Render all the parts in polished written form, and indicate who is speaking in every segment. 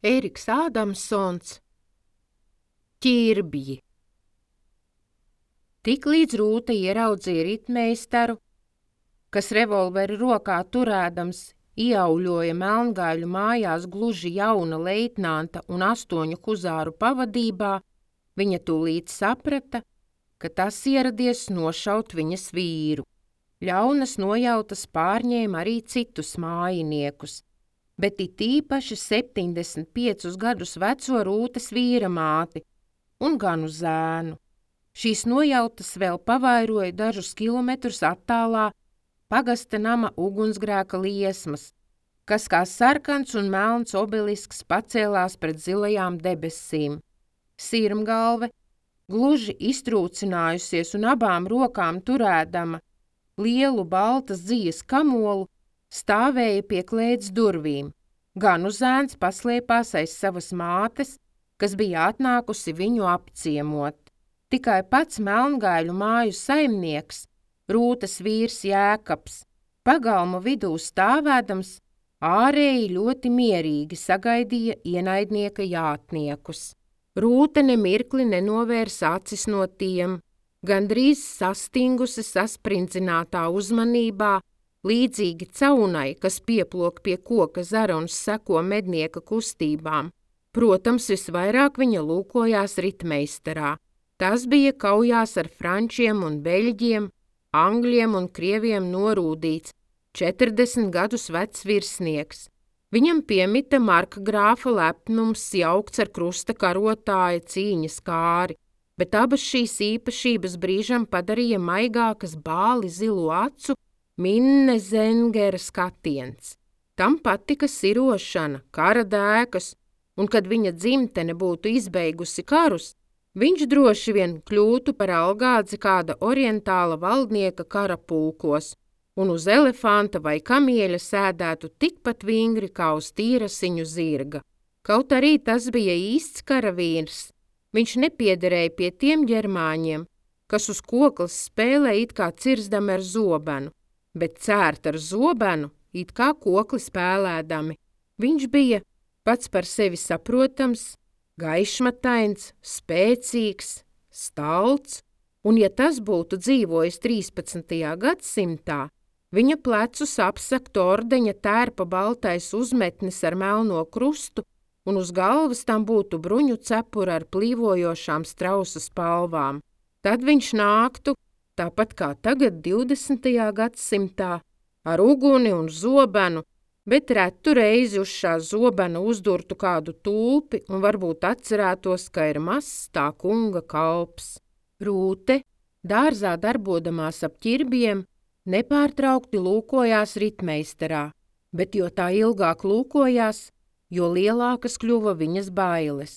Speaker 1: Ēriks Ādamsons, Ķirbji. Tiklīdz Rūta ieraudzīja ritmeistaru, kas revolveri rokā turēdams ieauļoja Melngaiļu mājās gluži jauna leitnanta un 8 huzāru pavadībā, viņa tūlīt saprata, ka tas ieradies nošaut viņas vīru. Ļaunas nojautas pārņēma arī citus mājiniekus, bet it īpaši 75 gadus veco Rūtas vīra māti un ganu zēnu. Šīs nojautas vēl pavairoja dažus kilometrus attālā pagasta nama ugunsgrēka liesmas, kas kā sarkans un melns obelisks pacēlās pret zilajām debesīm. Sirmgalve, gluži iztrūcinājusies un abām rokām turēdama lielu baltas dzijas kamolu, stāvēja pie klēts durvīm. Ganu zēns paslēpās aiz savas mātes, kas bija atnākusi viņu apciemot. Tikai pats Melngaiļu māju saimnieks, Rūtas vīrs Jēkabs, pagalma vidū stāvēdams, ārēji ļoti mierīgi sagaidīja ienaidnieka jātniekus. Rūta nemirkli nenovērsa acis no tiem, gandrīz sastingusi sasprindzinātā uzmanībā, līdzīgi caunai, kas pieplok pie koka zara un seko mednieka kustībām. Protams, visvairāk viņa lūkojās ritmeistarā. Tas bija kaujās ar frančiem un beļģiem, angļiem un krieviem norūdīts, 40 gadus vecs virsnieks. Viņam piemita markgrāfa lepnums jaukts ar krusta karotāja cīņas kāri, bet abas šīs īpašības brīžam padarīja maigākas bāli zilu acu Minne Zengera skatiens. Tam patika sirošana, kara dēkas, un kad viņa dzimtene būtu izbeigusi karus, viņš droši vien kļūtu par algādzi kāda orientāla valdnieka kara pulkos un uz elefanta vai kamieļa sēdētu tikpat vingri kā uz tīrasiņu zirga. Kaut arī tas bija īsts karavīrs, viņš nepiederēja pie tiem ģermāņiem, kas uz koklas spēlē it kā cirzdami ar zobenu, bet cērt ar zobenu it kā kokli spēlēdami. Viņš bija pats par sevi saprotams, gaišmatains, spēcīgs, stalts, un ja tas būtu dzīvojis 13. gadsimtā, viņa plecus apsaktu ordeņa tērpa baltais uzmetnis ar melno krustu, un uz galvas tam būtu bruņu cepura ar plīvojošām strausa spalvām. Tad viņš nāktu, tāpat kā tagad 20. gadsimtā, ar uguni un zobenu, bet retu reizi uz šā zobena uzdurtu kādu tulpi un varbūt atcerētos, ka ir mazs tā kunga kalps. Rūte, dārzā darbodamās ap ķirbjiem, nepārtraukti lūkojās ritmeistarā, bet jo tā ilgāk lūkojās, jo lielākas kļuva viņas bailes.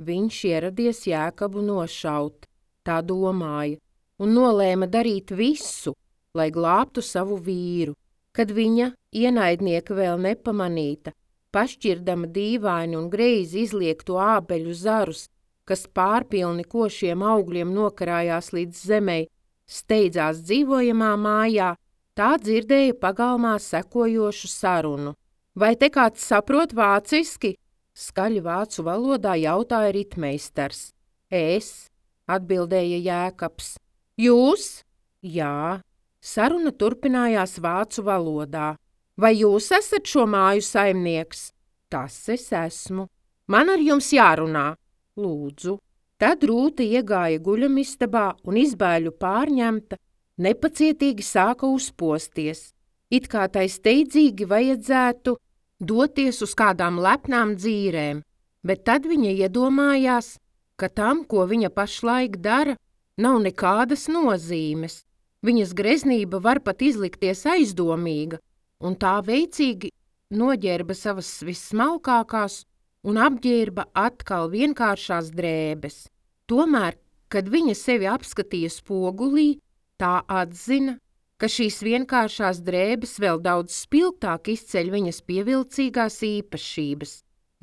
Speaker 1: Viņš ieradies Jēkabu nošaut, tā domāja, un nolēma darīt visu, lai glābtu savu vīru. Kad viņa, ienaidnieka vēl nepamanīta, pašķirdama dīvaini un greizi izliektu ābeļu zarus, kas pārpilni košiem augļiem nokarājās līdz zemei, steidzās dzīvojamā mājā, tā dzirdēja pagalmā sekojošu sarunu. Vai te kāds saprot vāciski? Skaļi vācu valodā jautāja ritmeistars. Es, atbildēja Jēkabs. Jūs? Jā. Saruna turpinājās vācu valodā. Vai jūs esat šo māju saimnieks? Tas es esmu. Man ar jums jārunā. Lūdzu. Tad Rūta iegāja guļamistabā un izbēļu pārņemta, nepacietīgi sāka uzposties. It kā tai steidzīgi vajadzētu doties uz kādām lepnām dzīrēm, bet tad viņa iedomājās, ka tam, ko viņa pašlaik dara, nav nekādas nozīmes. Viņas greznība var pat izlikties aizdomīga, un tā veicīgi noģērba savas vissmalkākās un apģērba atkal vienkāršās drēbes. Tomēr, kad viņa sevi apskatīja spogulī, tā atzina, ka šīs vienkāršās drēbes vēl daudz spilgtāk izceļ viņas pievilcīgās īpašības.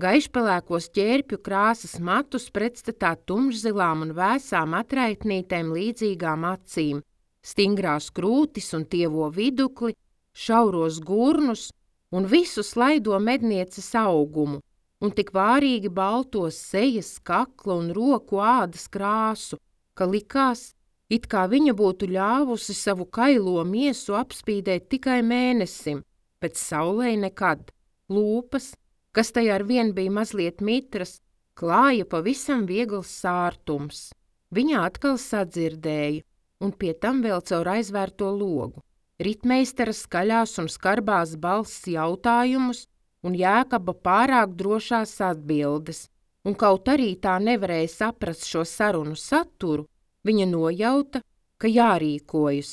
Speaker 1: Gaišpelēkos ķērpju krāsas matus pretstatā tumšzilām un vēsām atraitnītēm līdzīgām acīm, stingrās krūtis un tievo vidukli, šauros gurnus un visu slaido mednieces augumu. un tik vārīgi baltos sejas, kakla un roku ādas krāsu, ka likās, it kā viņa būtu ļāvusi savu kailo miesu apspīdēt tikai mēnesim, bet saulei nekad. Lūpas, kas tai arvien bija mazliet mitras, klāja pavisam viegls sārtums. Viņa atkal sadzirdēja, un pie tam vēl caur aizvērto logu. Ritmeistara skaļās un skarbās balss jautājumus un Jēkaba pārāk drošās atbildes, un kaut arī tā nevarēja saprast šo sarunu saturu, viņa nojauta, ka jārīkojas,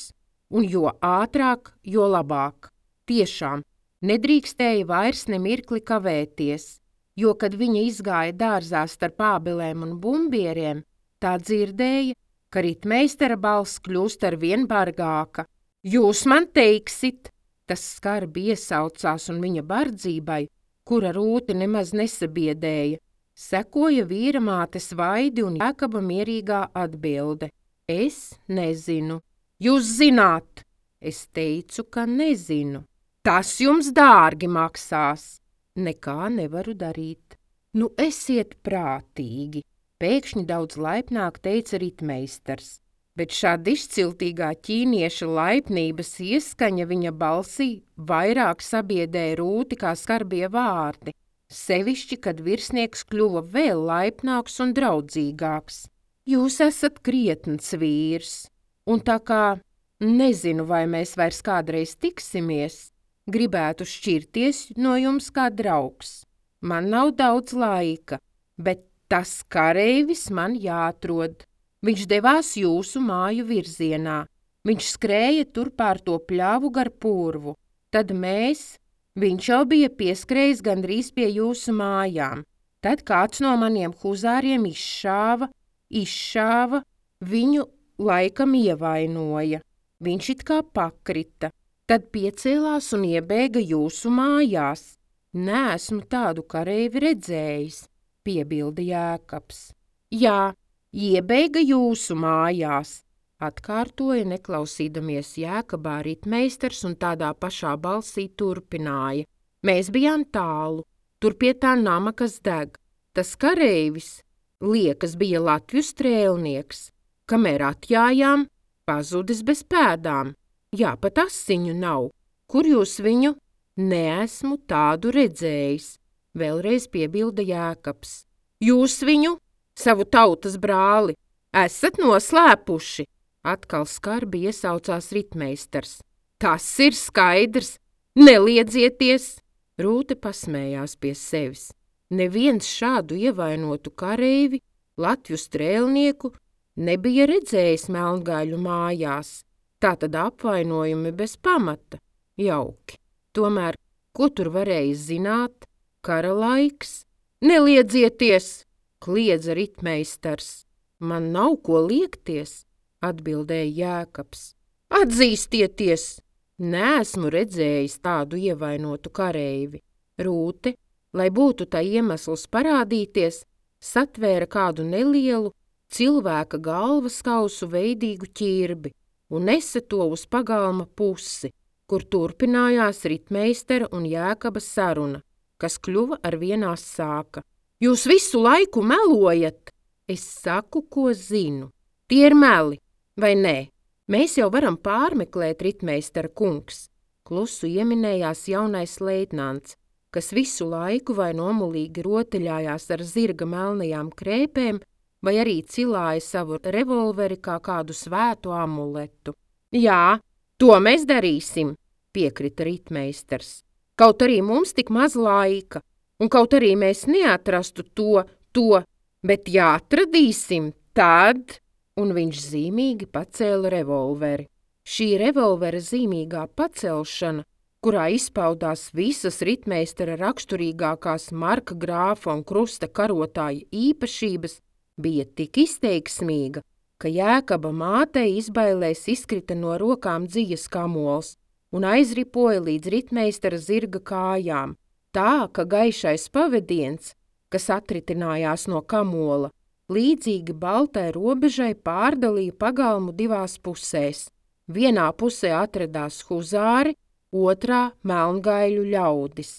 Speaker 1: un jo ātrāk, jo labāk. Tiešām, nedrīkstēja vairs nemirkli kavēties, jo, kad viņa izgāja dārzā starp ābelēm un bumbieriem, tā dzirdēja, ka ritmeistara balss kļūst arvien bargāka. Jūs man teiksit, tas skarbi iesaucās un viņa bardzībai, kura Rūti nemaz nesabiedēja, sekoja vīra mātes Vaidi un Jēkaba mierīgā atbilde. Es nezinu. Jūs zināt? Es teicu, ka nezinu. Tas jums dārgi maksās. Nekā nevaru darīt. Nu, esiet prātīgi, pēkšņi daudz laipnāk teica ritmeistars, bet šāda izciltīgā ķīnieša laipnības ieskaņa viņa balsī vairāk sabiedēja Rūti kā skarbie vārdi, sevišķi, kad virsnieks kļuva vēl laipnāks un draudzīgāks. Jūs esat krietns vīrs, un tā kā nezinu, vai mēs vairs kādreiz tiksimies, gribētu šķirties no jums kā draugs. Man nav daudz laika, bet tas kareivis man jāatrod. Viņš devās jūsu māju virzienā. Viņš skrēja tur pār to pļavu gar purvu. Tad viņš jau bija pieskrējis gandrīz pie jūsu mājām. Tad kāds no maniem huzāriem izšāva, viņu laikam ievainoja. Viņš it kā pakrita. Tad piecēlās un iebēga jūsu mājās. Neesmu tādu kareivi redzējis, piebilda Jēkabs. Jā, iebēga jūsu mājās, atkārtoja neklausīdamies Jēkabā ritmeistars un tādā pašā balsī turpināja. Mēs bijām tālu, tur pie tā nama, kas deg. Tas kareivis, liekas, bija Latvju strēlnieks, kamēr atjājām, pazudis bez pēdām. Jā, pat asiņu nav. Kur jūs viņu? Neesmu tādu redzējis, vēlreiz piebilda Jēkabs. Jūs viņu, savu tautas brāli, esat noslēpuši, atkal skarbi iesaucās ritmeistars. Tas ir skaidrs, neliedzieties! Rūte pasmējās pie sevis. Neviens šādu ievainotu kareivi, Latvju strēlnieku, nebija redzējis Melngaiļu mājās. Tātad apvainojumi bez pamata, jauki. Tomēr, ko tur varēja zināt? Kara laiks? Neliedzieties, kliedza ritmeistars. Man nav ko liekties, atbildēja Jēkabs. Atzīstieties! Neesmu redzējis tādu ievainotu kareivi. Rūte, lai būtu tā iemesls parādīties, satvēra kādu nelielu cilvēka galvas kausu veidīgu ķirbi un nesa to uz pagalma pusi, kur turpinājās ritmeistara un Jēkaba saruna, kas kļuva arvien asāka. Jūs visu laiku melojat! Es saku, ko zinu. Tie ir meli, vai nē? Mēs jau varam pārmeklēt, ritmeistara kungs, klusu ieminējās jaunais leitnants, kas visu laiku vai nomulīgi rotaļājās ar zirga melnajām krēpēm, vai arī cilāja savu revolveri kā kādu svētu amuletu. Jā, to mēs darīsim, piekrita ritmeistars. Kaut arī mums tik maz laika, un kaut arī mēs neatrastu to, bet ja atradīsim, tad... Un viņš zīmīgi pacēla revolveri. Šī revolvera zīmīgā pacelšana, kurā izpaudās visas ritmeistara raksturīgākās marka grāfa un krusta karotāja īpašības, bija tik izteiksmīga, ka Jēkaba mātei izbailēs izkrita no rokām dzijas kamols un aizripoja līdz ritmeistara zirga kājām, tā, ka gaišais pavediens, kas atritinājās no kamola, līdzīgi baltai robežai pārdalīja pagalmu divās pusēs. Vienā pusē atradās huzāri, otrā Melngaiļu ļaudis.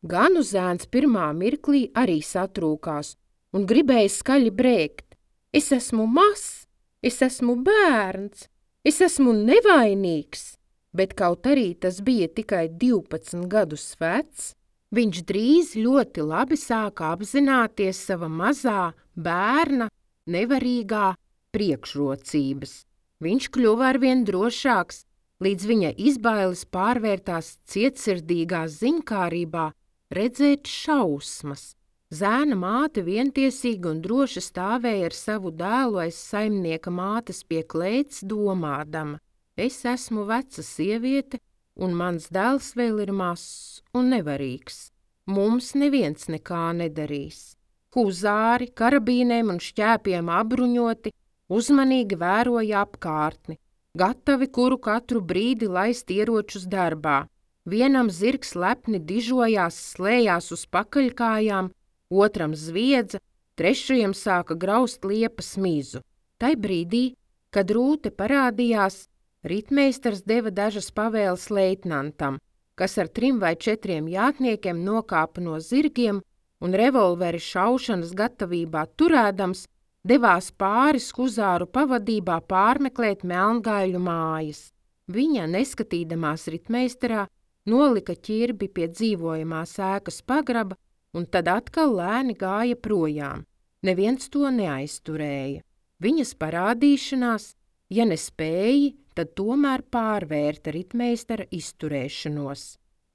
Speaker 1: Ganu zēns pirmā mirklī arī satrūkās un gribēja skaļi brēkt. Es esmu mazs, es esmu bērns, es esmu nevainīgs, bet kaut arī tas bija tikai 12 gadus vecs, viņš drīz ļoti labi sāka apzināties sava mazā bērna nevarīgā priekšrocības. Viņš kļuva arvien drošāks, līdz viņa izbailes pārvērtās cietsirdīgā ziņkārībā redzēt šausmas. Zēna māte vientiesīgi un droši stāvēja ar savu dēlu aiz saimnieka mātes pie klēts, domādama: es esmu veca sieviete, un mans dēls vēl ir mazs un nevarīgs. Mums neviens nekā nedarīs. Huzāri, karabīnēm un šķēpiem apbruņoti, uzmanīgi vēroja apkārtni, gatavi kuru katru brīdi laist ieročus darbā. Vienam zirgs lepni dižojās, slējās uz pakaļkājām, otram zviedza, trešajam sāka graust liepas mizu. Tai brīdī, kad rūte parādījās, ritmeistars deva dažas pavēles leitnantam, kas ar 3 vai 4 jātniekiem nokāpa no zirgiem un revolveri šaušanas gatavībā turēdams, devās pāris huzāru pavadībā pārmeklēt Melngaiļu mājas. Viņa, neskatīdamās ritmeistarā, nolika ķirbi pie dzīvojamās ēkas pagraba un tad atkal lēni gāja projām. Neviens to neaizturēja. Viņas parādīšanās, ja nespēja, tad tomēr pārvērta ritmeistara izturēšanos.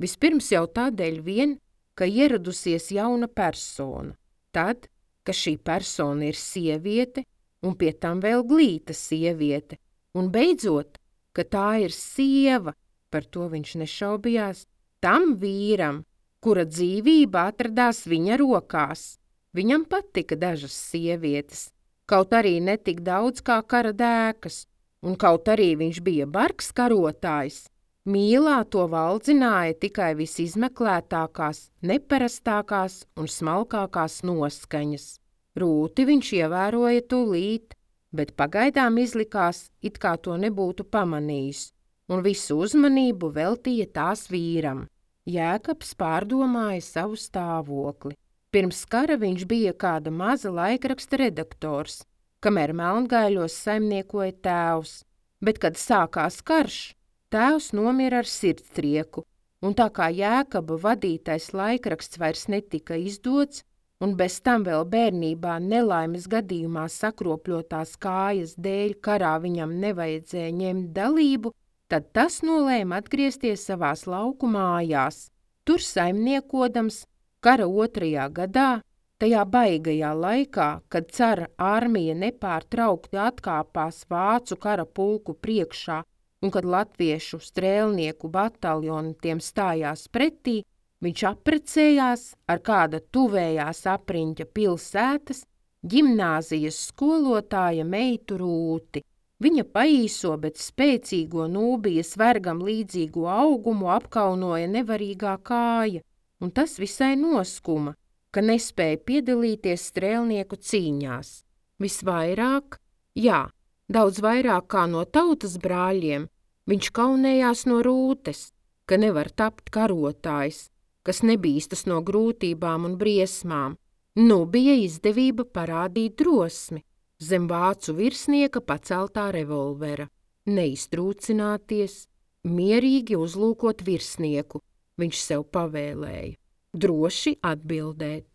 Speaker 1: Vispirms jau tādēļ vien, ka ieradusies jauna persona. Tad, ka šī persona ir sieviete un pie tam vēl glīta sieviete. Un beidzot, ka tā ir sieva, par to viņš nešaubījās, tam vīram, kura dzīvība atradās viņa rokās. Viņam patika dažas sievietes, kaut arī ne tik daudz kā kara dēkas, un kaut arī viņš bija bargs karotājs, mīlā to valdzināja tikai visizmeklētākās, neparastākās un smalkākās noskaņas. Rūti viņš ievēroja tūlīt, bet pagaidām izlikās, it kā to nebūtu pamanījis, un visu uzmanību veltīja tās vīram. Jēkabs pārdomāja savu stāvokli. Pirms kara viņš bija kāda maza laikraksta redaktors, kamēr Melngaiļos saimniekoja tēvs, bet, kad sākās karš, tēvs nomira ar sirdstrieku, un tā kā Jēkaba vadītais laikraksts vairs netika izdots, un bez tam vēl bērnībā nelaimes gadījumā sakropļotās kājas dēļ karā viņam nevajadzēja ņemt dalību, tad tas nolēma atgriezties savās lauku mājās. Tur saimniekodams kara 2. gadā, tajā baigajā laikā, kad cara armija nepārtraukti atkāpās vācu kara pulku priekšā un kad latviešu strēlnieku bataljoni tiem stājās pretī, viņš apprecējās ar kāda tuvējās apriņķa pilsētas ģimnāzijas skolotāja meitu Rūti. Viņa paīso, bet spēcīgo Nūbijas vergam līdzīgo augumu apkaunoja nevarīgā kāja, un tas visai noskuma, ka nespēja piedalīties strēlnieku cīņās. Visvairāk, daudz vairāk kā no tautas brāļiem, viņš kaunējās no Rūtes, ka nevar tapt karotājs, kas nebīstas no grūtībām un briesmām. Nu bija izdevība parādīt drosmi zem vācu virsnieka paceltā revolvera, neiztrūcināties, mierīgi uzlūkot virsnieku, viņš sev pavēlēja, droši atbildēt.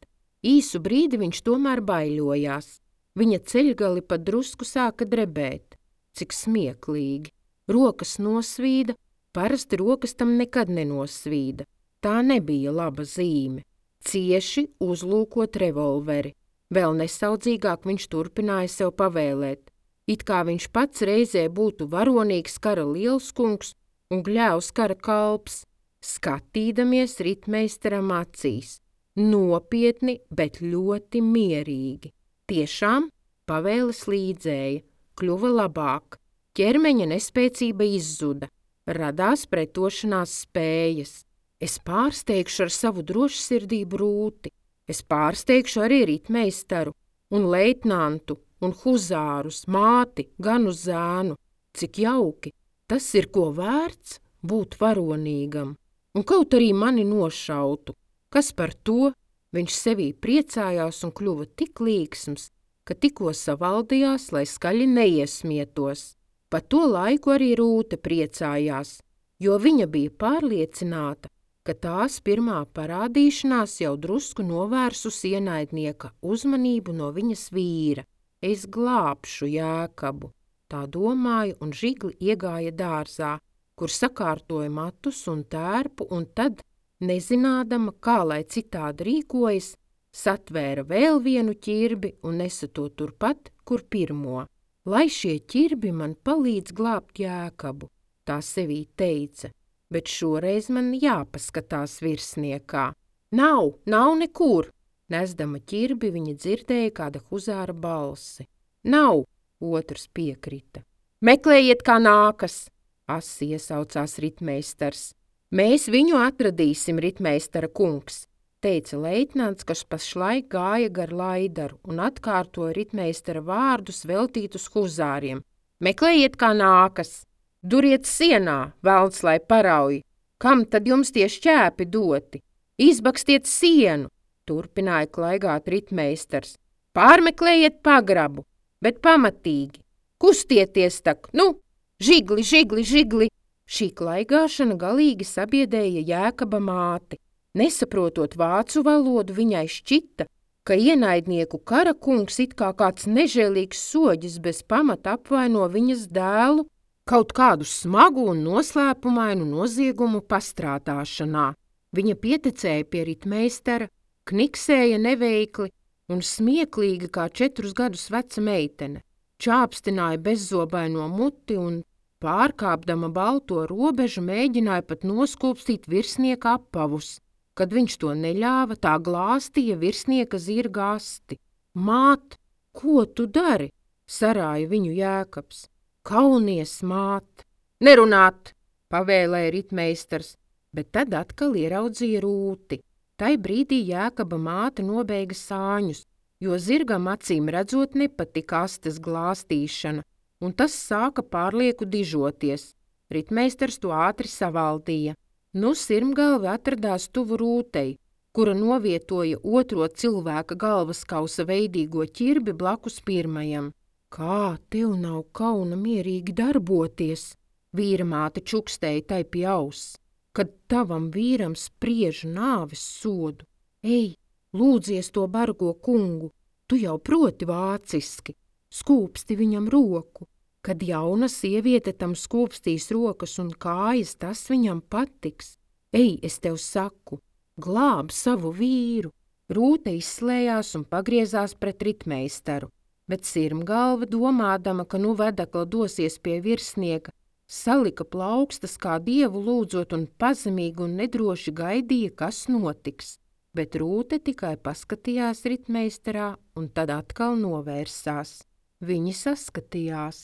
Speaker 1: Īsu brīdi viņš tomēr baiļojās, viņa ceļgali pat drusku sāka drebēt, cik smieklīgi. Rokas nosvīda, parasti rokas tam nekad nenosvīda, tā nebija laba zīme. Cieši uzlūkot revolveri. Vēl nesaudzīgāk viņš turpināja sev pavēlēt, it kā viņš pats reizē būtu varonīgs kara lielskungs un gļēvs kara kalps, skatīdamies ritmeistaram acīs, nopietni, bet ļoti mierīgi. Tiešām pavēles līdzēja, kļuva labāk, ķermeņa nespēcība izzuda, radās pretošanās spējas. Es pārsteigšu ar savu drošsirdību Rūti. Es pārsteigšu arī ritmeistaru un leitnantu un huzārus, māti, ganu zēnu. Cik jauki, tas ir ko vērts būt varonīgam. Un kaut arī mani nošautu, Kas par to? Viņš sevī priecājās un kļuva tik līksms, ka tikko savaldījās, lai skaļi neiesmietos. Pa to laiku arī Rūte priecājās, jo viņa bija pārliecināta, ka tās pirmā parādīšanās jau drusku novērsusi ienaidnieka uzmanību no viņas vīra. Es glābšu Jēkabu, tā domāja, un žigli iegāja dārzā, kur sakārtoja matus un tērpu, un tad, nezinādama, kā lai citādi rīkojas, satvēra vēl vienu ķirbi un nesa to turpat, kur pirmo. Lai šie ķirbi man palīdz glābt Jēkabu, tā sevī teica, bet šoreiz man jāpaskatās virsniekā. Nav nekur! Nesdama ķirbi viņa dzirdēja kāda huzāra balsi. Nav, otrs piekrita. Meklējiet, kā nākas! Asi iesaucās ritmeistars. Mēs viņu atradīsim, ritmeistara kungs, teica leitnants, kas pašlaik gāja gar laidaru un atkārtoja ritmeistara vārdus veltītus huzāriem. Meklējiet, kā nākas! Duriet sienā, velns lai parauj! Kam tad jums tie šķēpi doti? Izbakstiet sienu! Turpināja klaigāt ritmeistars. Pārmeklējiet pagrabu, bet pamatīgi! Kustieties tak, nu! Žigli, žigli, žigli! Šī klaigāšana galīgi sabiedēja Jēkaba māti. Nesaprotot vācu valodu, viņai šķita, ka ienaidnieku kara kungs it kā kāds nežēlīgs soģis bez pamata apvaino viņas dēlu kaut kādu smagu un noslēpumainu noziegumu pastrādāšanā. Viņa pieticēja pie ritmeistara, kniksēja neveikli un smieklīgi kā 4 gadus veca meitene, čāpstināja bezzobaino muti un pārkāpdama balto robežu mēģināja pat noskūpstīt virsnieka apavus. Kad viņš to neļāva, tā glāstīja virsnieka zirga asti. Māt, ko tu dari? Sarāja viņu Jēkabs. Kaunies, māt! Nerunāt! Pavēlēja ritmeistars, bet tad atkal ieraudzīja Rūti. Tai brīdī Jēkaba māte nobeigha sāņus, jo zirgam acīm redzot nepatika astes glāstīšana, un tas sāka pārlieku dižoties. Ritmeistars to ātri savaldīja. Nu sirmgalve atradās tuvu Rūtei, kura novietoja otro cilvēka galvaskausa veidīgo ķirbi blakus pirmajam. Kā tev nav kauna mierīgi darboties? Vīra māte čukstēja tai pie auss, kad tavam vīram spriež nāves sodu. Ej, lūdzies to bargo kungu, tu jau proti vāciski. Skūpsti viņam roku. Kad jauna sieviete tam skūpstīs rokas un kājas, tas viņam patiks. Ej, es tev saku, glāb savu vīru. Rūte izslējās un pagriezās pret ritmeistaru, bet sirmgalva, domādama, ka nu vedekla dosies pie virsnieka, salika plaukstas kā dievu lūdzot un pazemīgi un nedroši gaidīja, kas notiks. Bet Rūte tikai paskatījās ritmeistarā un tad atkal novērsās. Viņi saskatījās.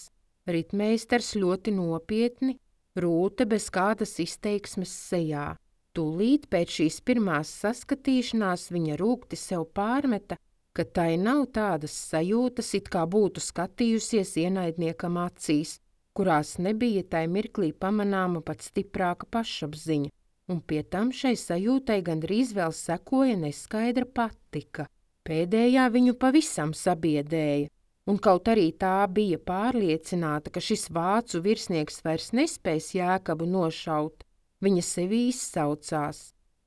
Speaker 1: Ritmeistars ļoti nopietni, Rūte bez kādas izteiksmes sejā. Tūlīt pēc šīs pirmās saskatīšanās viņa rūgti sev pārmeta, ka tai nav tādas sajūtas, it kā būtu skatījusies ienaidniekam acīs, kurās nebija tai mirklī pamanāma pat stiprāka pašapziņa, un pie tam šai sajūtai gandrīz vēl sekoja neskaidra patika. Pēdējā viņu pavisam sabiedēja. Un kaut arī tā bija pārliecināta, ka šis vācu virsnieks vairs nespēs Jēkabu nošaut, viņa sevi izsaucās.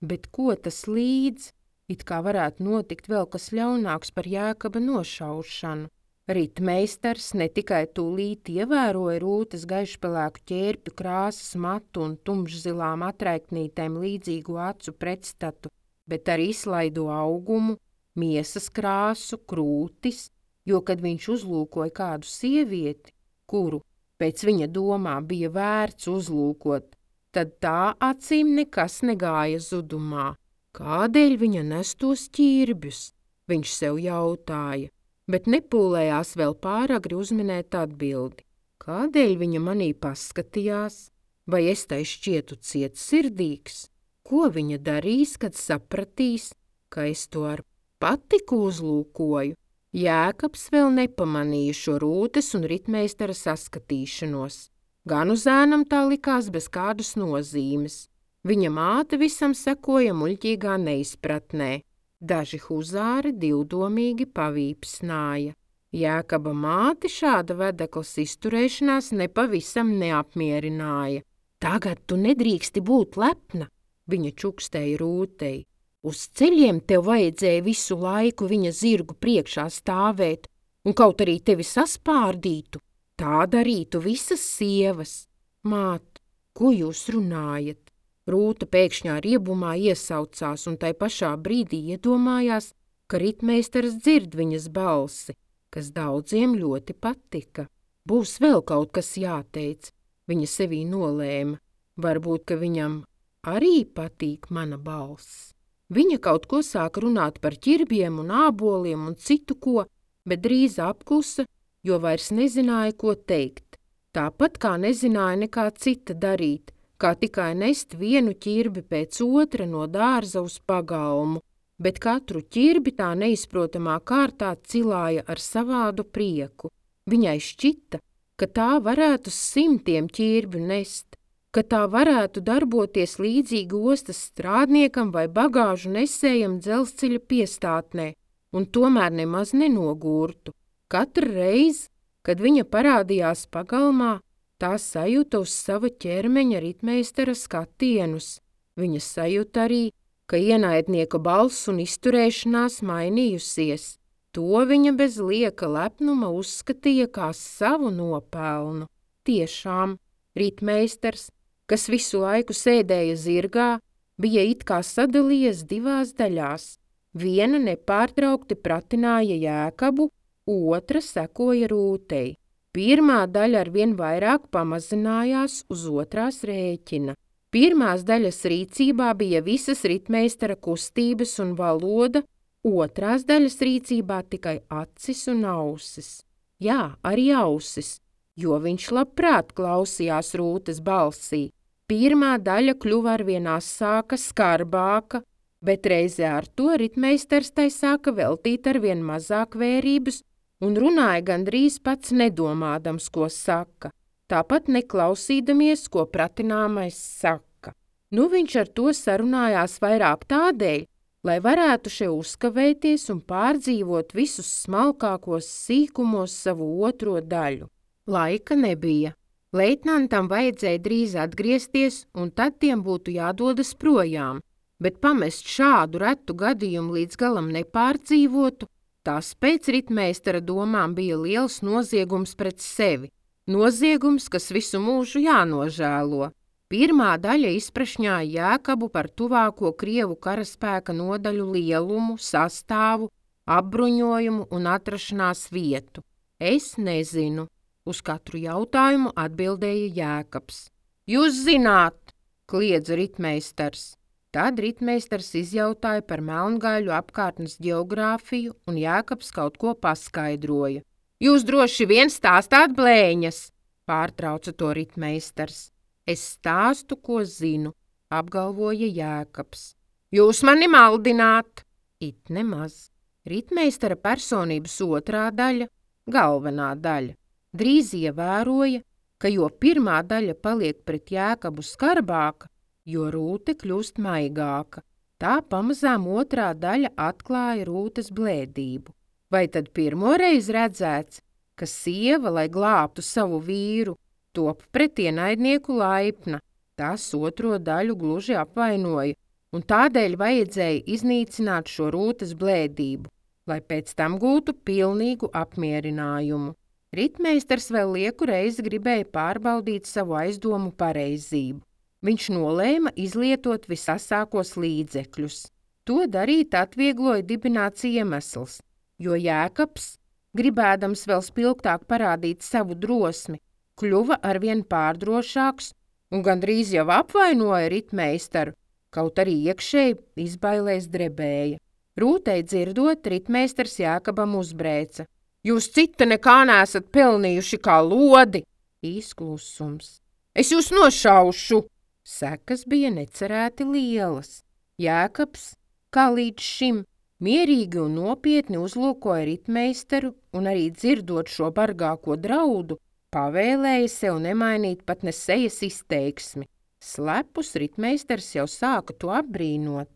Speaker 1: Bet ko tas līdz? It kā varētu notikt vēl kas ļaunāks par Jēkaba nošaušanu. Ritmeistars ne tikai tūlīt ievēroja Rūtes gaišpelēku ķērpju krāsas matu un tumšzilām atraiknītēm līdzīgu acu pretstatu, bet arī slaido augumu, miesas krāsu, krūtis, jo, kad viņš uzlūkoja kādu sievieti, kuru, pēc viņa domā, bija vērts uzlūkot, tad tā acīm nekas negāja zudumā. Kādēļ viņa nes tos ķirbjus? Viņš sev jautāja, bet nepūlējās vēl pāragri uzminēt atbildi. Kādēļ viņa manī paskatījās? Vai es tai šķietu cietsirdīgs? Ko viņa darīs, kad sapratīs, ka es to ar patiku uzlūkoju? Jēkabs vēl nepamanīja šo Rūtes un ritmeistara saskatīšanos. Gan uz ēnam tā likās bez kādas nozīmes. Viņa māte visam sekoja muļķīgā neizpratnē. Daži huzāri divdomīgi pavīpsnāja. Jēkaba māti šāda vedeklas izturēšanās nepavisam neapmierināja. Tagad tu nedrīksti būt lepna, viņa čukstēja Rūtei. Uz ceļiem tev vajadzēja visu laiku viņa zirgu priekšā stāvēt, un kaut arī tevi saspārdītu, tā darītu visas sievas. Māt, ko jūs runājat? Rūta pēkšņā riebumā iesaucās un tai pašā brīdī iedomājās, ka ritmeistars dzird viņas balsi, kas daudziem ļoti patika. Būs vēl kaut kas jāteic, viņa sevī nolēma. Varbūt, ka viņam arī patīk mana balss. Viņa kaut ko sāka runāt par ķirbiem un āboliem un citu ko, bet drīz apklusa, jo vairs nezināja, ko teikt. Tāpat kā nezināja nekā cita darīt, kā tikai nest vienu ķirbi pēc otra no dārza uz pagalmu, bet katru ķirbi tā neizprotamā kārtā cilāja ar savādu prieku. Viņai šķita, ka tā varētu 100 ķirbi nest, ka tā varētu darboties līdzīgi ostas strādniekam vai bagāžu nesējam dzelzceļa piestātnē, un tomēr nemaz nenogurtu. Katru reizi, kad viņa parādījās pagalmā, tā sajūta uz sava ķermeņa ritmeistara skatienus. Viņa sajūta arī, ka ienaidnieka balss un izturēšanās mainījusies. To viņa bez lieka lepnuma uzskatīja kā savu nopelnu. Tiešām, ritmeistars, kas visu laiku sēdēja zirgā, bija it kā sadalījies 2 daļās. Viena nepārtraukti pratināja Jēkabu, otra sekoja Rūtei. Pirmā daļa arvien vairāk pamazinājās uz otrās rēķina. Pirmās daļas rīcībā bija visas ritmeistara kustības un valoda, otrās daļas rīcībā tikai acis un ausis. Jā, arī ausis, jo viņš labprāt klausījās Rūtes balsī. Pirmā daļa kļuva arvien asāka, skarbāka, bet reizē ar to ritmeistars tai sāka veltīt arvien mazāk vērības un runāja gandrīz pats nedomādams, ko saka, tāpat neklausīdamies, ko pratināmais saka. Nu viņš ar to sarunājās vairāk tādēļ, lai varētu še uzkavēties un pārdzīvot visus smalkākos sīkumos savu otro daļu. Laika nebija. Leitnantam vajadzēja drīz atgriezties, un tad tiem būtu jādodas projām, bet pamest šādu retu gadījumu līdz galam nepārdzīvotu, tās pēc ritmeistara domām bija liels noziegums pret sevi. Noziegums, kas visu mūžu jānožēlo. Pirmā daļa izprašņāja Jēkabu par tuvāko Krievu karaspēka nodaļu lielumu, sastāvu, apbruņojumu un atrašanās vietu. Es nezinu. Uz katru jautājumu atbildēja Jēkabs. Jūs zināt, kliedza ritmeistars. Tad ritmeistars izjautāja par Melngaiļu apkārtnes ģeogrāfiju, un Jēkabs kaut ko paskaidroja. Jūs droši vien stāstāt blēņas, pārtrauca to ritmeistars. Es stāstu, ko zinu, apgalvoja Jēkabs. Jūs mani maldināt! It nemaz. Ritmeistara personības otrā daļa, galvenā daļa, drīz ievēroja, ka jo pirmā daļa paliek pret Jēkabu skarbāka, jo Rūte kļūst maigāka. Tā pamazām otrā daļa atklāja Rūtes blēdību. Vai tad pirmoreiz redzēts, ka sieva, lai glābtu savu vīru, top pret ienaidnieku laipna? Tas otro daļu gluži apvainoja, un tādēļ vajadzēja iznīcināt šo Rūtes blēdību, lai pēc tam gūtu pilnīgu apmierinājumu. Ritmeistars vēl lieku reizi gribēja pārbaudīt savu aizdomu pareizību. Viņš nolēma izlietot visasākos līdzekļus. To darīt atviegloja dibināts iemesls, jo Jēkabs, gribēdams vēl spilgtāk parādīt savu drosmi, kļuva arvien pārdrošāks un gandrīz jau apvainoja ritmeistaru, kaut arī iekšēji izbailēs drebēja. Rūtei dzirdot, ritmeistars Jēkabam uzbrēca. Jūs cita nekā neesat pelnījuši kā lodi! Īsklusums. Es jūs nošaušu! Sekas bija necerēti lielas. Jēkabs, kā līdz šim, mierīgi un nopietni uzlūkoja ritmeistaru un arī dzirdot šo bargāko draudu, pavēlēja sev nemainīt pat ne sejas izteiksmi. Slepus ritmeistars jau sāka to apbrīnot.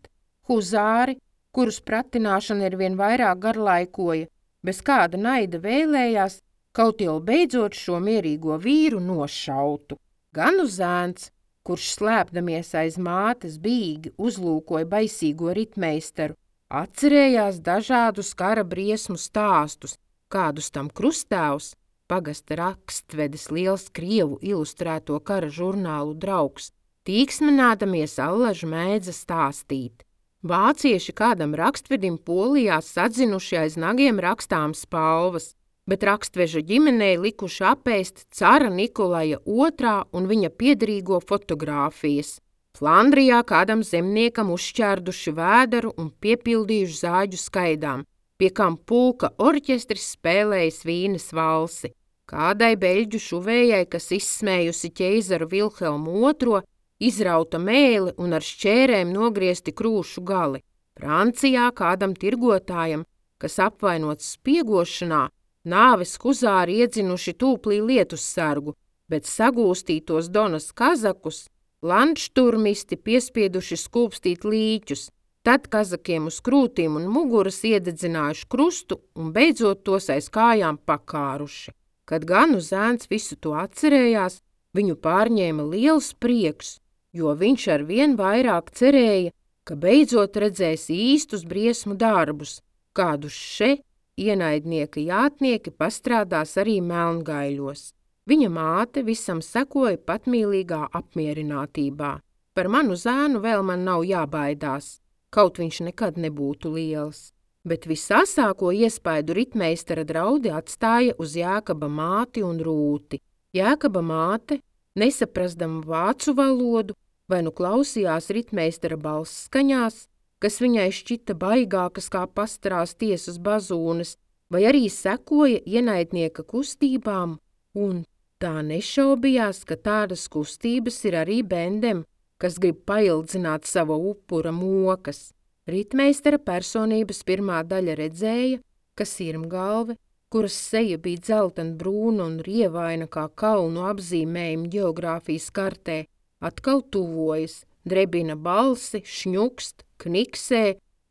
Speaker 1: Huzāri, kurus pratināšana ir vien vairāk garlaikoja, bez kāda naida vēlējās, kaut jau beidzot šo mierīgo vīru nošautu. Gan zēns, kurš slēpdamies aiz mātes bīgi uzlūkoja baisīgo ritmeistaru, atcerējās dažādus kara briesmu stāstus, kādus tam krustāvs, pagasta rakstvedis liels krievu ilustrēto kara žurnālu draugs, tīksminēdamies allaž mēdza stāstīt. Vācieši kādam rakstvedim Polijā sadzinuši aiz nagiem rakstām spalvas, bet rakstveža ģimenei likuši apēst cara Nikolaja II un viņa piederīgo fotogrāfijas. Flandrijā kādam zemniekam uzšķērduši vēderu un piepildījuši zāģu skaidām, pie kam pulka orķestris spēlējis Vīnes valsi. Kādai beļģu šuvējai, kas izsmējusi ķeizaru Vilhelmu II, izrauta mēli un ar šķērēm nogriezti krūšu gali. Francijā kādam tirgotājam, kas apvainots spiegošanā, nāves huzāri iedzinuši tūplī lietussargu, bet sagūstītos Donas kazakus landšturmisti piespieduši skūpstīt līķus, tad kazakiem uz krūtīm un muguras iededzinājuši krustu un beidzot tos aiz kājām pakāruši. Kad Ganu zēns visu to atcerējās, viņu pārņēma liels prieks, jo viņš ar vien vairāk cerēja, ka beidzot redzēs īstus briesmu darbus, kādus še ienaidnieka jātnieki pastrādās arī Melngaiļos. Viņa māte visam sekoja patmīlīgā apmierinātībā. Par manu zēnu vēl man nav jābaidās, kaut viņš nekad nebūtu liels. Bet visasāko iespaidu ritmeistara draudi atstāja uz Jēkaba māti un Rūti. Jēkaba māte, nesaprastama vācu valodu, vai nu klausījās ritmeistara balss skaņās, kas viņai šķita baigākas kā pastarās tiesas bazūnes, vai arī sekoja ienaidnieka kustībām, un tā nešaubījās, ka tādas kustības ir arī bendem, kas grib paildzināt sava upura mokas. Ritmeistara personības pirmā daļa redzēja, ka sirmgalve, kuras seja bija dzeltenbrūna un rievaina kā kalnu apzīmējumi ģeogrāfijas kartē, atkal tuvojas, drebina balsi, šņukst, kniksē,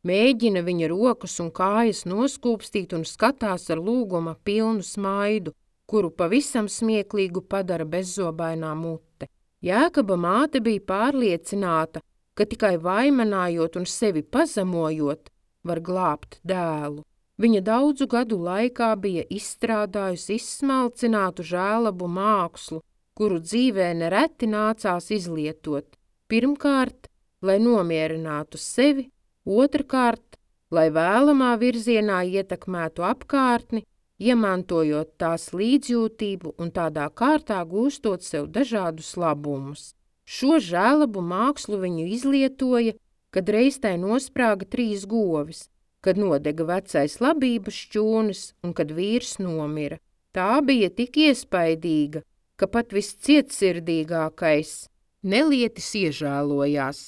Speaker 1: mēģina viņa rokas un kājas noskūpstīt un skatās ar lūguma pilnu smaidu, kuru pavisam smieklīgu padara bezzobainā mute. Jēkaba māte bija pārliecināta, ka tikai vaimanājot un sevi pazemojot, var glābt dēlu. Viņa daudzu gadu laikā bija izstrādājusi izsmalcinātu žēlabu mākslu, kuru dzīvē nereti nācās izlietot. Pirmkārt, lai nomierinātu sevi, otrkārt, lai vēlamā virzienā ietekmētu apkārtni, iemantojot tās līdzjūtību un tādā kārtā gūstot sev dažādus labumus. Šo žēlabu mākslu viņu izlietoja, kad reiz tai nosprāga 3 govis, kad nodega vecais labības šķūnis un kad vīrs nomira. Tā bija tik iespaidīga, ka pat viscietsirdīgākais nelietis iežēlojās,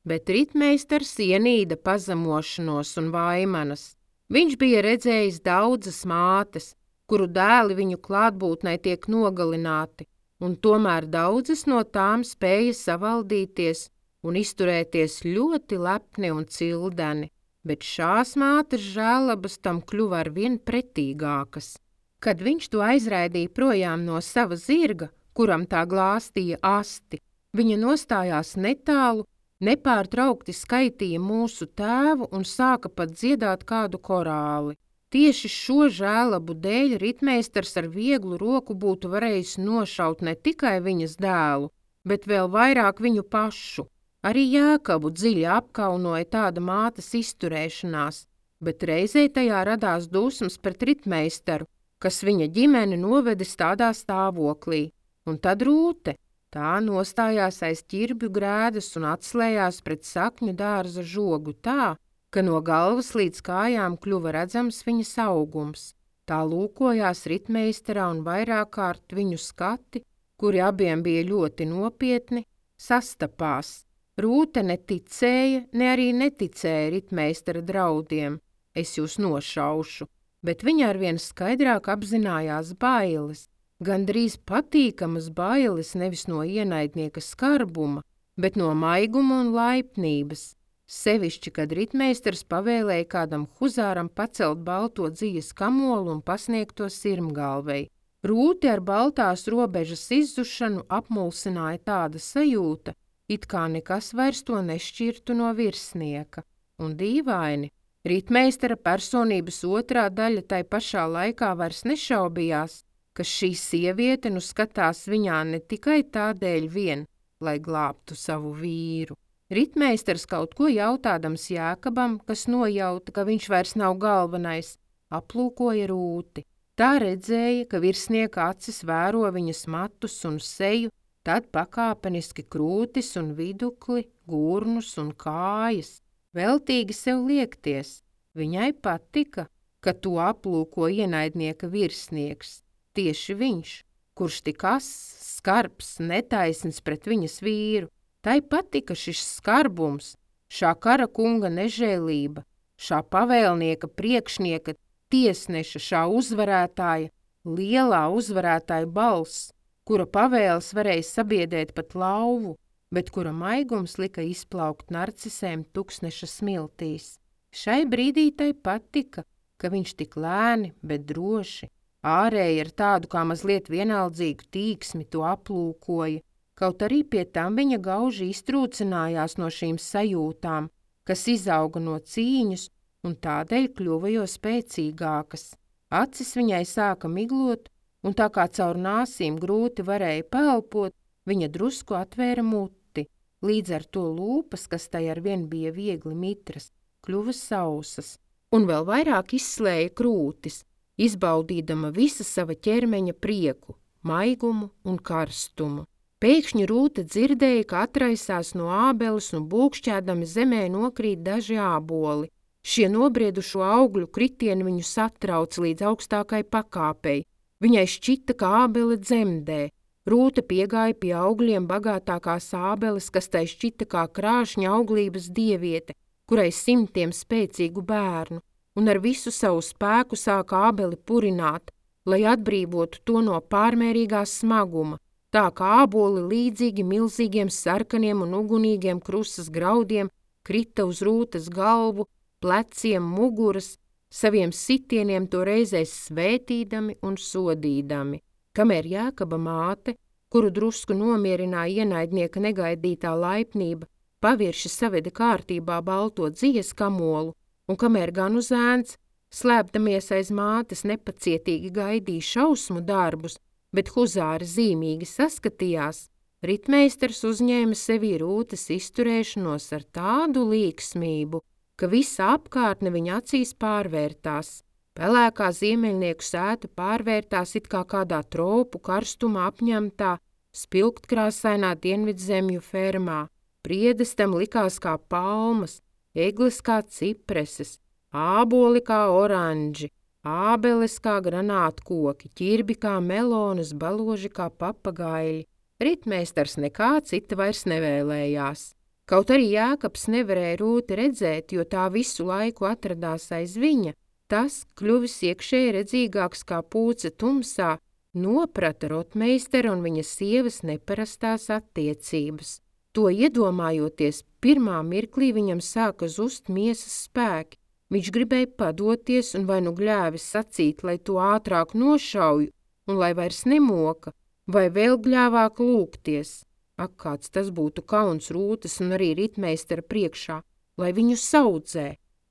Speaker 1: bet ritmeistars ienīda pazemošanos un vaimanas. Viņš bija redzējis daudzas mātes, kuru dēli viņu klātbūtnē tiek nogalināti, un tomēr daudzas no tām spēja savaldīties un izturēties ļoti lepni un cildeni, bet šās mātes žēlabas tam kļuva arvien pretīgākas. Kad viņš to aizraidīja projām no sava zirga, kuram tā glāstīja asti, viņa nostājās netālu, nepārtraukti skaitīja mūsu tēvu un sāka pat dziedāt kādu korāli. Tieši šo žēlabu dēļ ritmeistars ar vieglu roku būtu varējis nošaut ne tikai viņas dēlu, bet vēl vairāk viņu pašu. Arī Jēkabu dziļi apkaunoja tāda mātes izturēšanās, bet reizē tajā radās dusmas pret ritmeistaru, kas viņa ģimeni novedis tādā stāvoklī. Un tad Rūte. Tā nostājās aiz ķirbju grēdas un atslējās pret sakņu dārza žogu tā, ka no galvas līdz kājām kļuva redzams viņas augums. Tā lūkojās ritmeistarā un vairāk kārt viņu skati, kuri abiem bija ļoti nopietni, sastapās. Rūte neticēja, ne arī neticēja ritmeistara draudiem. Es jūs nošaušu, bet viņa arvien skaidrāk apzinājās bailes. Gandrīz patīkamas bailes nevis no ienaidnieka skarbuma, bet no maiguma un laipnības. Sevišķi, kad ritmeistars pavēlēja kādam huzāram pacelt balto dzijas kamolu un pasniegt to sirmgalvei. Rūti ar baltās robežas izzušanu apmulsināja tāda sajūta, it kā nekas vairs to nešķirtu no virsnieka. Un dīvaini, ritmeistara personības otrā daļa tai pašā laikā vairs nešaubījās, ka šī sieviete nu skatās viņā ne tikai tādēļ vien, lai glābtu savu vīru. Ritmeistars kaut ko jautādams Jēkabam, kas nojauta, ka viņš vairs nav galvenais, aplūkoja Rūti. Tā redzēja, ka virsnieka acis vēro viņas matus un seju, tad pakāpeniski krūtis un vidukli, gurnus un kājas. Veltīgi sev liekties. Viņai patika, ka to aplūko ienaidnieka virsnieks, tieši viņš, kurš tik ass, skarbs, netaisns pret viņas vīru. Tai patika šis skarbums, šā kara kunga nežēlība, šā pavēlnieka priekšnieka, tiesneša, šā uzvarētāja, lielā uzvarētāja balss, kura pavēles varēja sabiedēt pat lauvu, bet kura maigums lika izplaukt narcisēm tuksneša smiltīs. Šai brīdī tai patika, ka viņš tik lēni, bet droši, ārēji ar tādu kā mazliet vienaldzīgu tīksmi to aplūkoja, kaut arī pie tam viņa gauži iztrūcinājās no šīm sajūtām, kas izauga no cīņas un tādēļ kļuva jo spēcīgākas. Acis viņai sāka miglot, un tā kā caur nāsīm grūti varēja paelpot, viņa drusku atvēra muti, līdz ar to lūpas, kas tai arvien bija viegli mitras, kļuva sausas, un vēl vairāk izslēja krūtis, izbaudīdama visa sava ķermeņa prieku, maigumu un karstumu. Pēkšņi Rūte dzirdēja, ka atraisās no ābeles un būkšķēdami zemē nokrīt daži āboli. Šie nobriedušo augļu kritieni viņu satrauc līdz augstākai pakāpei. Viņai šķita, ka ābele dzemdē. Rūte piegāja pie augļiem bagātākās ābeles, kas tai šķita kā krāšņa auglības dieviete, kurai simtiem spēcīgu bērnu, un ar visu savu spēku sāka ābeli purināt, lai atbrīvotu to no pārmērīgā smaguma. Tā kā āboli līdzīgi milzīgiem sarkaniem un ugunīgiem krusas graudiem krita uz Rūtes galvu, pleciem, muguras, saviem sitieniem to reizēs svētīdami un sodīdami. Kamēr Jēkaba māte, kuru drusku nomierināja ienaidnieka negaidītā laipnība, pavirši saveda kārtībā balto dzijas kamolu, un kamēr ganu zēns, slēpdamies aiz mātes, nepacietīgi gaidīja šausmu darbus, bet huzāri zīmīgi saskatījās, ritmeistars uzņēma sevī Rūtes izturēšanos ar tādu līksmību, ka visa apkārtne viņa acīs pārvērtās. Pelēkā ziemeļnieku sēta pārvērtās it kā kādā tropu karstuma apņemtā, spilgtkrāsainā dienvidzemju fermā. Priedestam likās kā palmas, egles kā cipreses, āboli kā oranži, ābeles kā granātkoki, ķirbi kā melonas, baloži kā papagaļi. Ritmeistars nekā cita vairs nevēlējās. Kaut arī Jēkabs nevarēja Rūti redzēt, jo tā visu laiku atradās aiz viņa, tas, kļuvis iekšēji redzīgāks kā pūce tumsā, noprata rotmeistera un viņa sievas neparastās attiecības. To iedomājoties, pirmā mirklī viņam sāka zust miesas spēki. Viņš gribēja padoties un vai nu gļēvis sacīt, lai to ātrāk nošauju un lai vairs nemoka, vai vēl gļēvāk lūgties. Ak, kāds tas būtu kauns Rūtes un arī ritmeistara priekšā, lai viņu saudzē.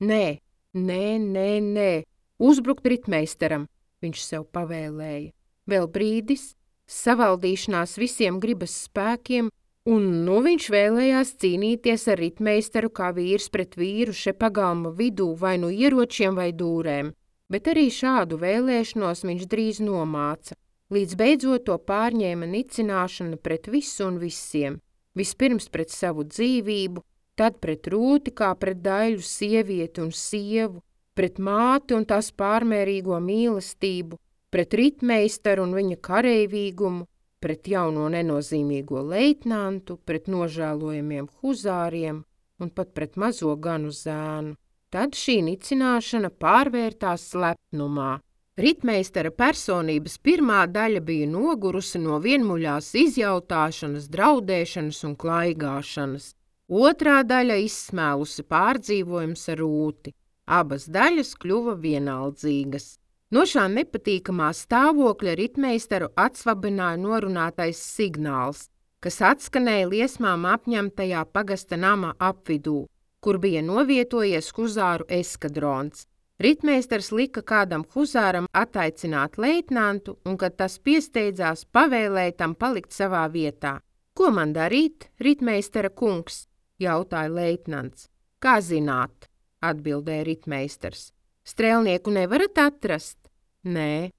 Speaker 1: Nē, uzbrukt ritmeistaram, viņš sev pavēlēja. Vēl brīdis, savaldīšanās visiem gribas spēkiem, un nu viņš vēlējās cīnīties ar ritmeistaru kā vīrs pret vīru še pagalma vidū vai nu ieročiem vai dūrēm, bet arī šādu vēlēšanos viņš drīz nomāca, līdz beidzot to pārņēma nicināšana pret visu un visiem, vispirms pret savu dzīvību, tad pret Rūti kā pret daļu sievieti un sievu, pret māti un tās pārmērīgo mīlestību, pret ritmeistaru un viņa kareivīgumu, pret jauno nenozīmīgo leitnantu, pret nožēlojamiem huzāriem un pat pret mazo ganu zēnu. Tad šī nicināšana pārvērtās slepnumā. Ritmeistara personības pirmā daļa bija nogurusi no vienmuļās izjautāšanas, draudēšanas un klaigāšanas. Otrā daļa izsmēlusi pārdzīvojums ar Rūti. Abas daļas kļuva vienaldzīgas. No šā nepatīkamā stāvokļa ritmeistaru atsvabināja norunātais signāls, kas atskanēja liesmām apņemtajā pagasta nama apvidū, kur bija novietojies huzāru eskadrons. Ritmeistars lika kādam huzāram attaicināt leitnantu, un, kad tas piesteidzās, pavēlēja tam palikt savā vietā. Ko man darīt, ritmeistara kungs? Jautāja leitnants. Kā zināt, atbildēja ritmeistars. Strēlnieku nevarat atrast? Nē.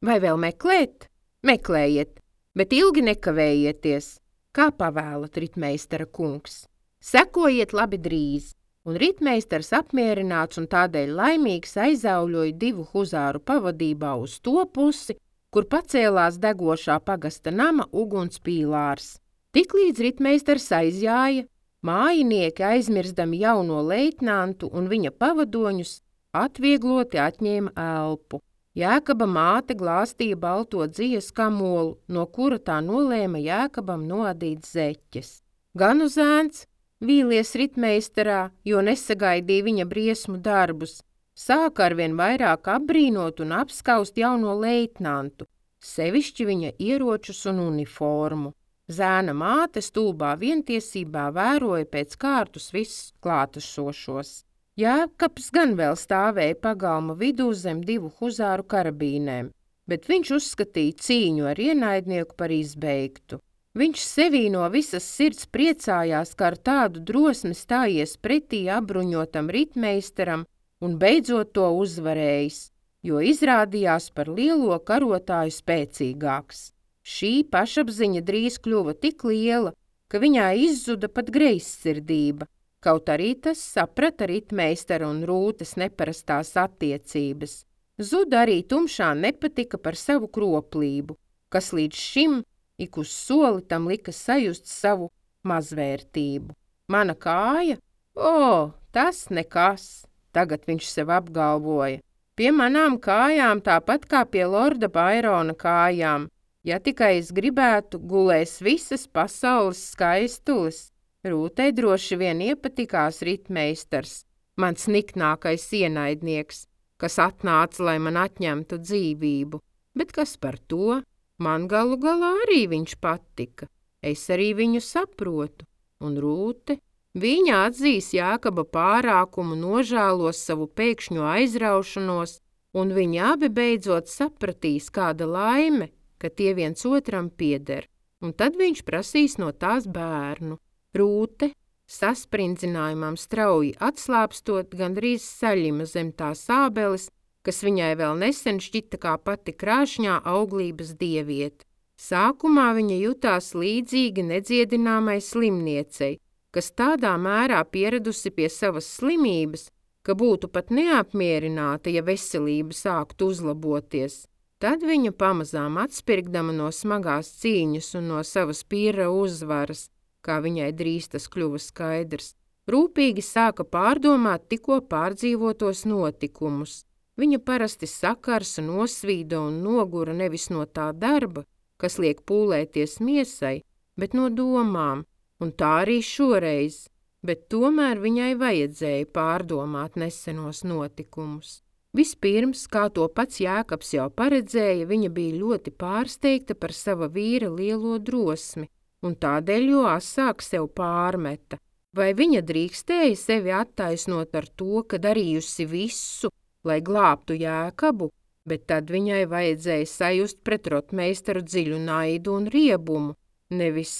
Speaker 1: Vai vēl meklēt? Meklējiet, bet ilgi nekavējieties. Kā pavēlat, ritmeistara kungs? Sekojiet labi drīz. Un ritmeistars apmierināts un tādēļ laimīgs aizauļoja 2 huzāru pavadībā uz to pusi, kur pacēlās degošā pagasta nama uguns pīlārs. Tiklīdz ritmeistars aizjāja, mājinieki aizmirstami jauno leitnantu un viņa pavadoņus atviegloti atņēma elpu. Jēkaba māte glāstīja balto dzijas kamolu, no kura tā nolēma Jēkabam noadīt zeķes. Ganu zēns, vīlies ritmeistarā, jo nesagaidīja viņa briesmu darbus, sāka arvien vairāk apbrīnot un apskaust jauno leitnantu, sevišķi viņa ieročus un uniformu. Zēna māte stulbā vientiesībā vēroja pēc kārtus visus klātesošos. Jēkabs gan vēl stāvēja pagalma vidū zem 2 huzāru karabīnēm, bet viņš uzskatīja cīņu ar ienaidnieku par izbeigtu. Viņš sevī no visas sirds priecājās, ka ar tādu drosmi stājies pretī apbruņotam ritmeistaram un beidzot to uzvarējis, jo izrādījās par lielo karotāju spēcīgāks. Šī pašapziņa drīz kļuva tik liela, ka viņā izzuda pat greizsirdība, kaut arī tas saprata ritmeistara un Rūtes neparastās attiecības. Zuda arī tumšā nepatika par savu kroplību, kas līdz šim ik uz soli tam lika sajust savu mazvērtību. Mana kāja? Tas nekas, tagad viņš sev apgalvoja. Pie manām kājām tāpat kā pie lorda Bairona kājām. Ja tikai es gribētu, gulēs visas pasaules skaistules. Rūtei droši vien iepatikās ritmeistars, mans niknākais ienaidnieks, kas atnāca, lai man atņemtu dzīvību. Bet kas par to? Man galu galā arī viņš patika. Es arī viņu saprotu. Un Rūte, viņa atzīs Jēkaba pārākumu, nožēlos savu pēkšņo aizraušanos, un viņi abi beidzot sapratīs, kāda laime, ka tie viens otram pieder. Un tad viņš prasīs no tās bērnu. Rūte, sasprinzinājumam strauji atslāpstot, gandrīz saļima zem tās ābeles, kas viņai vēl nesen šķita kā pati krāšņā auglības dieviete. Sākumā viņa jutās līdzīgi nedziedināmai slimniecei, kas tādā mērā pieradusi pie savas slimības, ka būtu pat neapmierināta, ja veselība sāktu uzlaboties. Tad viņa pamazām atspirgdama no smagās cīņas un no savas pīra uzvaras, kā viņai drīz tas kļuva skaidrs, rūpīgi sāka pārdomāt tikko pārdzīvotos notikumus. Viņa parasti sakars un nosvīda un nogura nevis no tā darba, kas liek pūlēties miesai, bet no domām, un tā arī šoreiz, bet tomēr viņai vajadzēja pārdomāt nesenos notikumus. Vispirms, kā to pats Jēkabs jau paredzēja, viņa bija ļoti pārsteigta par sava vīra lielo drosmi, un tādēļ jo asāk sev pārmeta. Vai viņa drīkstēja sevi attaisnot ar to, ka darījusi visu, lai glābtu Jēkabu, bet tad viņai vajadzēja sajust pret rotmeistaru dziļu naidu un riebumu, nevis,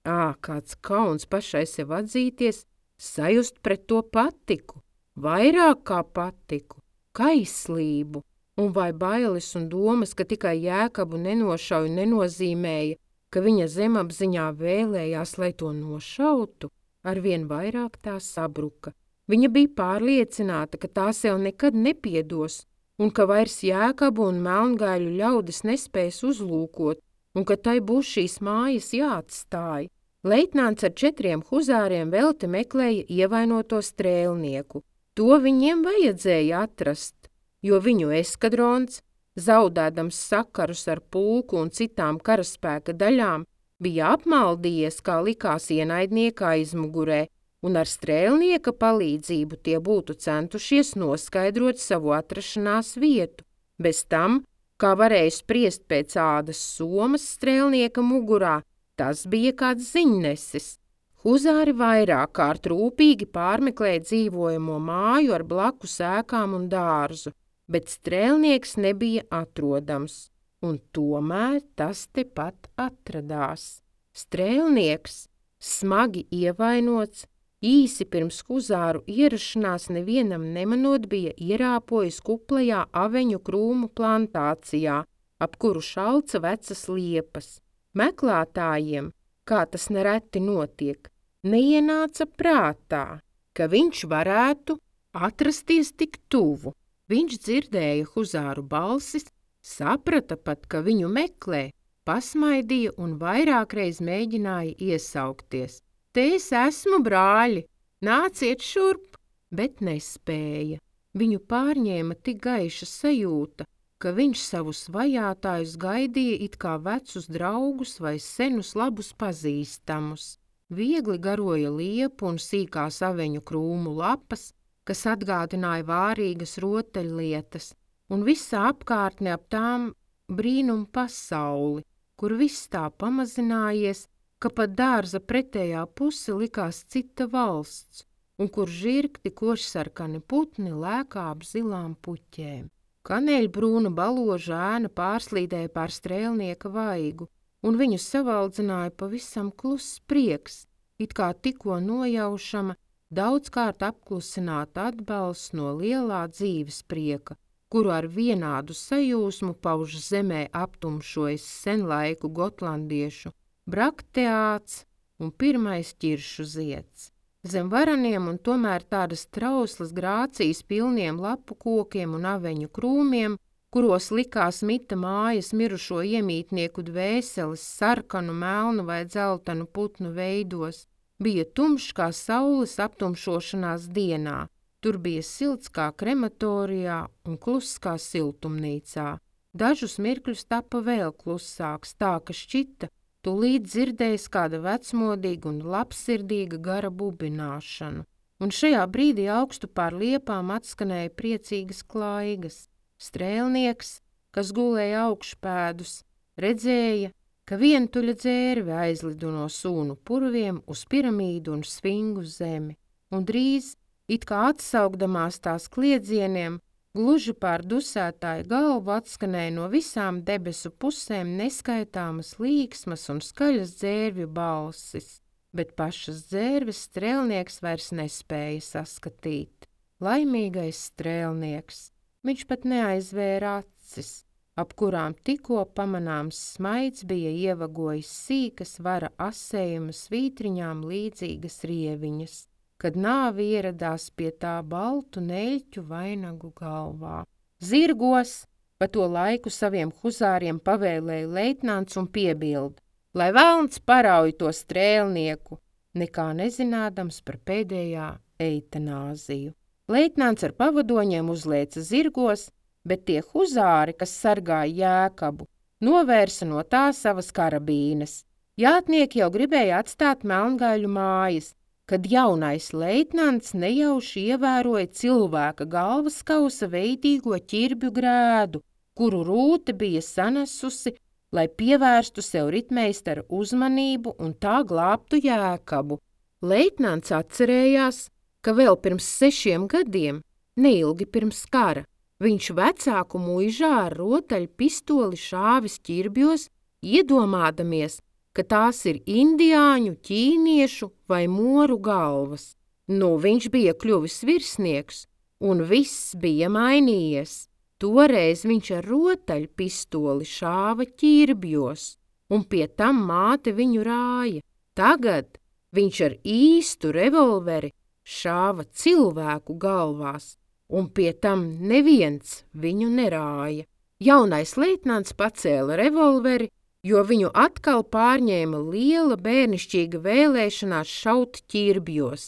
Speaker 1: kāds kauns pašai sev atzīties, sajust pret to patiku, vairāk kā patiku, kaislību, un vai bailes un domas, ka tikai Jēkabu nenošauj nenozīmēja, ka viņa zemapziņā vēlējās, lai to nošautu, arvien vairāk tā sabruka. Viņa bija pārliecināta, ka tā sev nekad nepiedos, un ka vairs Jēkabu un melngaiļu ļaudis nespēs uzlūkot, un ka tai būs šīs mājas jāatstāj. Leitnants ar 4 huzāriem velti meklēja ievainoto strēlnieku. To viņiem vajadzēja atrast. jo viņu eskadrons, zaudēdams sakarus ar pulku un citām karaspēka daļām, bija apmaldījies, kā likās ienaidnieka aizmugurē, un ar strēlnieka palīdzību tie būtu centušies noskaidrot savu atrašanās vietu. Bez tam, kā varēja spriest pēc ādas somas strēlnieka mugurā, tas bija kāds ziņnesis. Huzāri vairāk kārt rūpīgi pārmeklēja dzīvojamo māju ar blakus ēkām un dārzu, bet strēlnieks nebija atrodams, un tomēr tas tepat atradās. Strēlnieks, smagi ievainots, īsi pirms huzāru ierašanās nevienam nemanot bija ierāpojis kuplajā aveņu krūmu plantācijā, ap kuru šalca vecas liepas. Meklētājiem, kā tas nereti notiek, neienāca prātā, ka viņš varētu atrasties tik tuvu. Viņš dzirdēja huzāru balsis, saprata pat, ka viņu meklē, pasmaidīja un vairākreiz mēģināja iesaukties. Te es esmu, brāļi, nāciet šurp, bet nespēja. Viņu pārņēma tik gaiša sajūta, ka viņš savus vajātājus gaidīja it kā vecus draugus vai senus labus pazīstamus. Viegli garoja liepu un sīkās aveņu krūmu lapas, kas atgādināja vārīgas rotaļlietas, un visa apkārtne ap tām brīnumu pasauli, kur viss tā pamazinājies, ka pat dārza pretējā puse likās cita valsts, un kur žirgti košsarkani putni lēkā ap zilām puķēm. Kaneļbrūna baloža ēna pārslīdēja pār strēlnieka vaigu, un viņu savaldzināja pavisam kluss prieks, it kā tikko nojaušama, daudzkārt apklusināta atbalsts no lielā dzīves prieka, kuru ar vienādu sajūsmu pauž zemē aptumšojas senlaiku gotlandiešu brakteāts un pirmais ķiršu zieds. Zem varaniem un tomēr tādas trauslas grācijas pilniem lapu kokiem un aveņu krūmiem, kuros likās mita mājas mirušo iemītnieku dvēseles sarkanu, melnu vai dzeltenu putnu veidos, bija tumšs kā saules aptumšošanās dienā. Tur bija silts kā krematorijā un kluss kā siltumnīcā. Dažus mirkļus tapa vēl klusāks, tā ka šķita, tūlīt dzirdējis kāda vecmodīga un labsirdīga gara bubināšanu, un šajā brīdī augstu pār liepām atskanēja priecīgas klaigas. Strēlnieks, kas gulēja augšpēdus, redzēja, ka vientuļa dzērve aizlido no sūnu purviem uz piramīdu un svingu zemi, un drīz, it kā atsaukdamās tās kliedzieniem, gluži pār dusētāju galvu atskanēja no visām debesu pusēm neskaitāmas līksmas un skaļas dzērvju balsis, bet pašas dzērves strēlnieks vairs nespēja saskatīt. Laimīgais strēlnieks, viņš pat neaizvēra acis, ap kurām tikko pamanāms smaids bija ievagojis sīkas vara asējuma svītriņām līdzīgas rieviņas, kad nāve ieradās pie tā baltu neļķu vainagu galvā. Zirgos, pa to laiku saviem huzāriem pavēlēja leitnants un piebilda, lai velns parauj to strēlnieku, nekā nezinādams par pēdējā eitanāziju. Leitnants ar pavadoņiem uzlēca zirgos, bet tie huzāri, kas sargāja Jēkabu, novērsa no tā savas karabīnes. Jātnieki jau gribēja atstāt Melngaiļu mājas, kad jaunais leitnants nejauši ievēroja cilvēka galvaskausa veidīgo ķirbju grēdu, kuru rūte bija sanesusi, lai pievērstu sev ritmeistara uzmanību un tā glābtu Jēkabu. Leitnants atcerējās, ka vēl pirms 6 gadiem, neilgi pirms kara, viņš vecāku muižā ar rotaļu pistoli šāvis ķirbjos, iedomādamies, ka tās ir indiāņu, ķīniešu vai moru galvas. Viņš bija kļuvis virsnieks, un viss bija mainījies. Toreiz viņš ar rotaļu pistoli šāva ķirbjos, un pie tam māte viņu rāja. Tagad viņš ar īstu revolveri šāva cilvēku galvās, un pie tam neviens viņu nerāja. Jaunais leitnants pacēla revolveri, jo viņu atkal pārņēma liela bērnišķīga vēlēšanās šaut ķirbjos,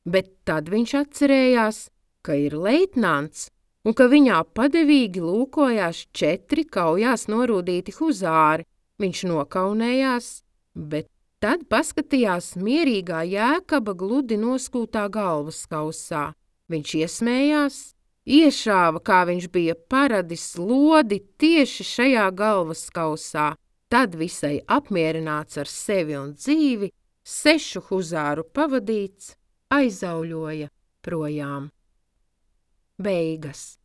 Speaker 1: bet tad viņš atcerējās, ka ir leitnants un ka viņā padevīgi lūkojās 4 kaujās norūdīti huzāri. Viņš nokaunējās, bet tad paskatījās mierīgā Jēkaba gludi noskūtā galvaskausā. Viņš iesmējās, iešāva, kā viņš bija paradis, lodi tieši šajā galvaskausā. Tad visai apmierināts ar sevi un dzīvi, 6 huzāru pavadīts, aizauļoja projām. Beigas.